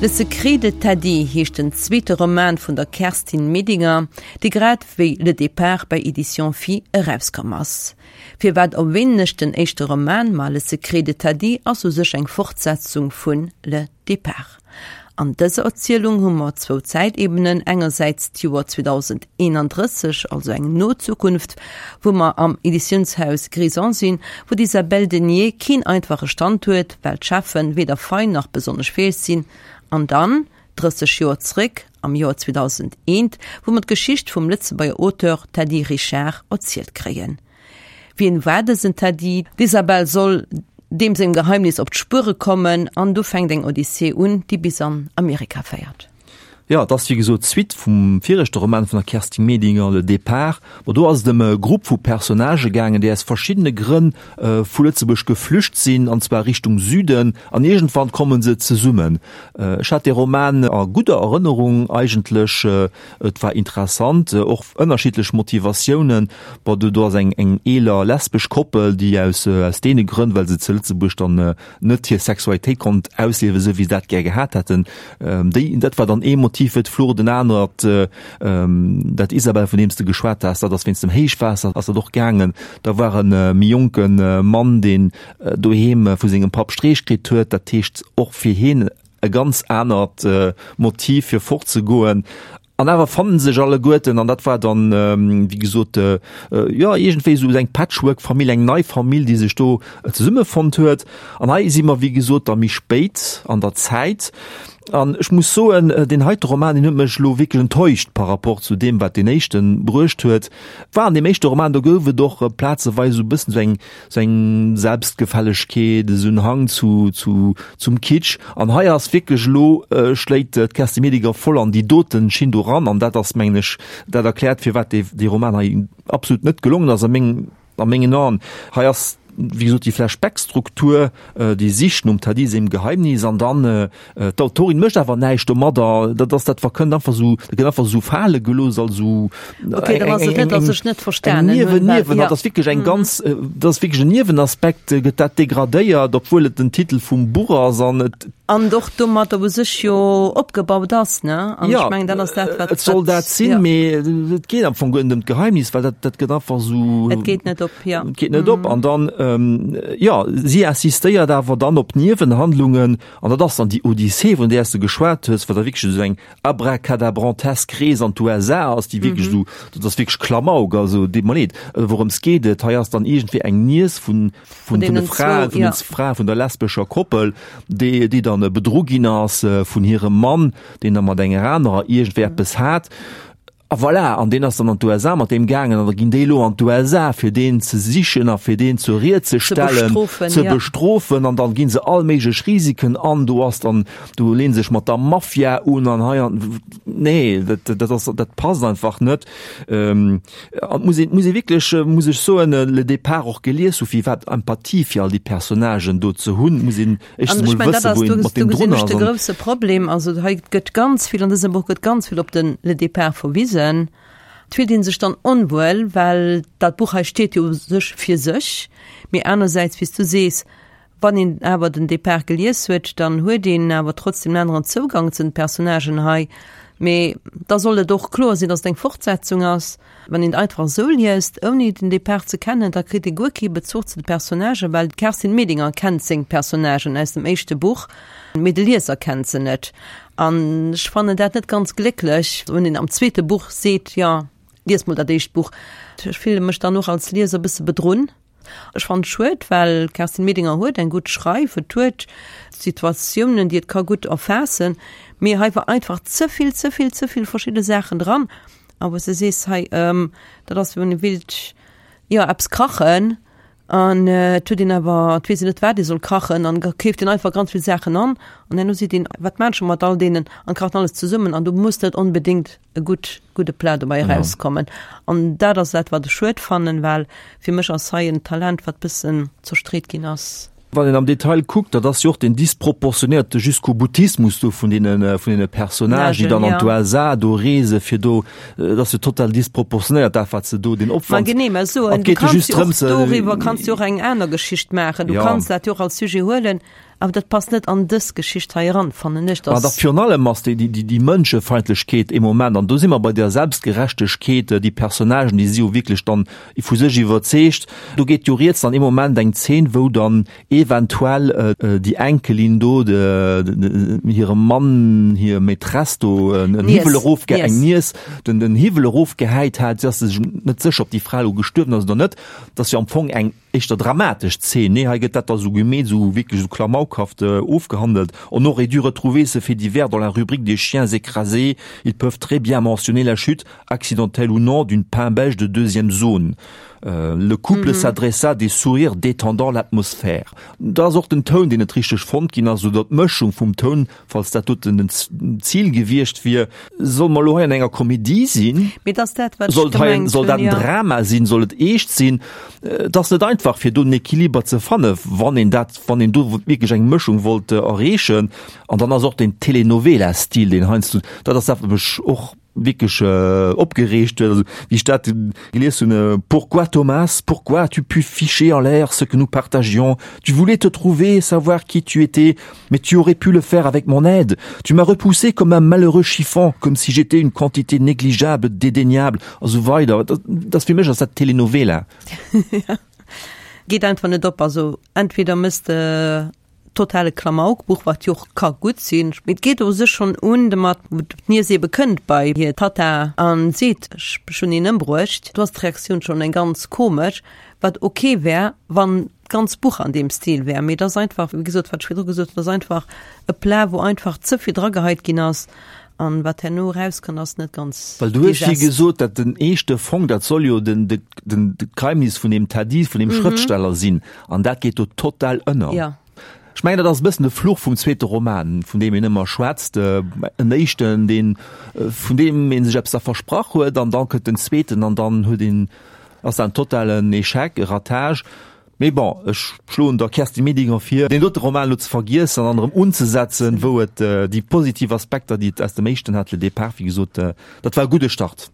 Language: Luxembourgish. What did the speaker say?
Le secret de Tadi heescht den zweete Roman vun der Kerstin Medinger, dee grad wéi Le Départ bei Editions Phi erauskomm ass. Firwat erwähnen ech den éischte Roman? Ma Le secret de Tadi ass u sech eng Fortsetzung vun Le Départ. An dëser Erzielung hu mer zwou Zäitebenen, engersäits d'Joer 2031, also eng no Zukunft, wou mer am Editiounshaus Grison sinn, wou d'Isabelle Denier keen einfache Stand huet, well d'Cheffen weder fein nach besonnesch fäeg sinn, an dann 30 Joer zréck, am Joer 2001, wou mer d'Geschicht vum Lëtzebuerger Auteur Teddy Richard erzielt kréien. Wien war dësen Teddy? D'Isabelle soll deem sengem Geheimnis op d'Spuere kommen an du fänkt eng Odyssee un, déi bis an Amerika féiert. Jo, et ass wéi gesot d'Suite vum viregte Roman vun der Kerstin Medinger, Le Départ. Bon, do ass et ëm e Grupp vu Personnagë gaangen, déi aus verschiddene Grënn vu Lëtzebuerg geflücht sinn, an zwar Richtung Süden, an iergendwann komme se zesummen. Ech hat dee Roman a gudder Erënnerung eigentlech. Et war interessant, och ënnerschiddlech Motivatiounen. Bon, do do ass eng eng eeler lesbesch Koppel, déi aus aus deene Grënn, well se zu Lëtzebuerg dann net hir Sexualitéit konnt ausliewen, esou wéi se dat gär gehat hätten, déi dat war dann ee Motiv fir d'Flucht. En anert, dat Isabelle, vun deem s de geschwat has, dat ass wéinst dem Héichwaasser ass dat och gaangen. Da war e méi jonke Mann, deen doheem vu sengem Papp Streech kritt huet, dat heescht och fir hien e ganz anert Motiv fir fortzegoen. An awer fannen sech alleguerten, an dat war dann, wéi gesot, jo iergendwéi esou eng Patchwork-Famill, eng nei Famill, déi sech do zesummefonnt huet. An hei si mer, wéi gesot, da méi spéit an der Zäit. An ech muss soen, deen heite Roman, deen huet mech elo wierklech enttäuscht par rapport zu deem, wat deen éischte bruecht huet. War an deem éischte Roman, do gouf et och plazeweis esou e bëssen esou eng, Sou eng Selbstgefällegkeet, esou en Hang zu, zu, zum Kitsch. An hei ass wierklech elo, schléit d'Kerstin Medinger voll an déi doten Schinn do ran. An dat ass, mengen ech, dat erkläert, firwat dee, dee Roman hei absolut net gelongen ass a meng, a mengen Aen. Hei ass, wéi gesot, déi Flashback-Struktur, déi Sich nom Taddy sengem Geheimnis an dann, D'Autorin mécht awer näischt domadder, dat ass dat verkënnt einfach sou, dat gëtt einfach sou fale gelooss als sou Okay, dann ass et net, dass ech net verstanen hunn, Niewen, Niewen, dat ass wierklech eng ganz, dat ass wierklech en Niewenaspekt, gëtt dat degradéiert, obwuel et den Titel vum Buch ass an et. An och domat u sech jo opgebaut ass, ne? An ech mengen, dat ass dat, wat. Et soll dat sinn, mee et geet am Fong guer net ëm d'Geheimnis, well dat, dat gëtt einfach sou. Et geet net op, jo. Et geet net op. An dann, jo, si insistéiert awer dann op Niewenhandlungen, An dat ass dann déi Odyssee, vun där s de geschwat hues, wat da wierklech esou eng abracadabrantesk Rees an d'USA ass, déi wierklech esou, dat ass wierklech Klamauk, also deet mer leed. Wourëms geet et? Hei ass dann iergendwéi eng Niess vun, vun de Fraen, vun den Frae vun der lesbescher Koppel, déi, déi dann bedru ginn ass vun hirem Mann, deen da mat enger anerer iergendwéi eppes hat. A voilà, an deen ass dann an d'USA mat deem gaangen an da ginn déi elo an d'USA fir deen ze sichen a fir deen zur Ried ze stellen, ze bestrofen an dann gi se all méiglech Risiken an. Do ass dann, do leeën se sech mat der Mafia un an hei an, nee, dat, dat ass, dat passt einfach net. An et muss een, muss ee wierklech, muss ech soen, Le Départ och gelies hu fir iwwerhaapt Empathie fir all déi Personnagen do ze hunn, muss een éischtens emol wëssen, wou een mat deem drun ass. De grousse Problem, also hei gëtt ganz vill, an dësem Buch gëtt ganz vill op den Le Départ verwisen. Et fillt ee sech dann onwuel, well dat Buch hei steet jo u sech fir sech, mee anersäits, wéi s du sees, wann een awer den Départ gelies huet, dann huet een awer trotzdem en aneren Zougang zu den Personnagen hei. Mee da soll et och kloer sinn, datt et eng Fortsetzung ass. Wann een et einfach esou liest, ouni den Depart ze kennen, da kritt ee guer kee Bezuch zu de Personnagen, well d'Kerstin Medinger kennt seng Personnagen aus dem éischte Buch, mee de Lieser kennt se net. An ech fannen dat net ganz glécklech, wann een am zweete Buch seet, jo, lies mol dat éischt Buch. Ech fille mech dann och als Lieser e bësse bedrunn. Ech fannen et schued, well d'Kerstin Medinger huet eng gutt Schreif, et huet Situatiounen, déi et ka gutt erfaassen, mee hei war einfach ze vill, ze vill, ze vill verschidde Saachen dran. A wou s de sees, hei, dat ass wéi wann ee willt, jo, eppes kachen an et huet een awer, et weess een net, wat ee soll kachen an da keeft een einfach ganz vill Saachen an an herno seet een, wat maan ech scho mat all deenen an kacht alles zesummen an do muss net onbedéngt e gutt, gudde Plat dobäi erauskommen. An dat ass dat, wat ech schued fannen, well fir mech ass hei en Talent, wat bëssen zerstreet ginn ass. Wann een am Detail kuckt, dat ass jo och den disproportionéierte Jusqu'au-boutismus do vun deene, vun deene Personnagen, déi dann an d'USA do reese fir do, dat ass jo total disproportionéiert dat, wat se do, deen Opwand. Ma genee, mä soen, du kanns jo och doriwwer kanns du och eng aner Geschicht maachen. Du kanns dat jo och als Sujet huelen. Awer dat passt net an dës Geschicht hei eran, fannen ech. Mä dach virun allem ass déi, déi, déi Mënschefeindlechkeet ee Moment, an do si mer bei der Selbstgerechtegkeet, déi Personnagen, déi si jo wierklech dann vu sech iwwerzeegt. Do geet jo rieds dann ee Moment eng Zeen, wou dann eventuell déi Enkelin do hirem Mann hir Maîtresse do en Hiwwel erofge, eng Niess, den, den Hiwwel erofgehäit hat. Si ass sech net sécher, ob déi Fra elo gestuerwen ass oder net. Dat ass jo am Fong eng. Éischter dramatesch Zeen, nee, hei gëtt dat da sou gemeet, sou wierklech sou klamaukhaft ofgehandelt. On aurait dû retrouver ce fait divers dans la rubrique des chiens écrasés, ils peuvent très bien mentionner la chute, accidentelle ou non, d'une pimbèche de deuxième zone. Le couple s'adressa des sourires détendant l'atmosphère. Da ass och den Toun, deen net richteg fonnt ginn ass, oder d'Mëschung vum Toun, Falls dat doten den Zil gewiescht wier. Solle mer elo hei an enger Komedie sinn? Mee et ass dat, wat ech gemengt hunn, Soll dat en Drama sinn? Soll et eescht sinn? Et ass net einfach, fir do den Equiliber ze fannen, wann een dat, wann een do wierklech eng Mëschung wollt erreechen. An dann ass och den Telenovela-Stil, deen heiansdo, dat ass dat, wat mech och wierklech opgereegt huet, also wéi ech dat gelies hunn, Pourquoi Thomas, pourquoi as-tu pu ficher en l'air ce que nous partagions? Tu voulais te trouver, savoir qui tu étais, mais tu aurais pu le faire avec mon aide. Tu m'as repoussé comme un malheureux chiffon, comme si j'étais une quantité négligeable, dédaignable, a sou weider. Dat ass fir mech ass dat Telenovela. Geet einfach net op. Also entweder mëss de totale Klamaukbuch, wat jo och ka gutt sinn, mee et geet u sech schonn un domat, wou d'Niess ebe kënnt bei hir Tatta a seet, ech hunn een ëmbruecht. Do ass d'Reaktioun schonn eng ganz komesch, wat ok wär, wann d'ganz Buch an deem Stil wär. Mee et ass einfach, wéi gesot, wat ech virdru gesot hunn, et ass einfach e Plat, wou einfach ze vill drageheit ginn ass an wat herno erauskënnt, ass net ganz Well du hues jo gesot, dat den eeschte Fong, dat soll jo den, den, den, d'Geheimnis vun deem Tadis, vun deem Schrëftsteller sinn. An dat geet do total ënner. Ja. Ech mengen, dat ass e bëssen de Fluch vum zweete Roman, vun deem een ëmmer schwätzt. En éischten, deen, vun deem ee sech eppes da versprach huet, an da kënnt den zweeten an dann huet een, ass dat en totalen Echec, e Ratage. Mee bon, ech schloen der Kerstin Medinger vir, deen dote Roman elo ze vergiessen an erëm unzesetzen, wou et déi positiv Aspekter, déi et aus dem éischten hat, Le Départ, wéi gesot, dat war e gudde Start.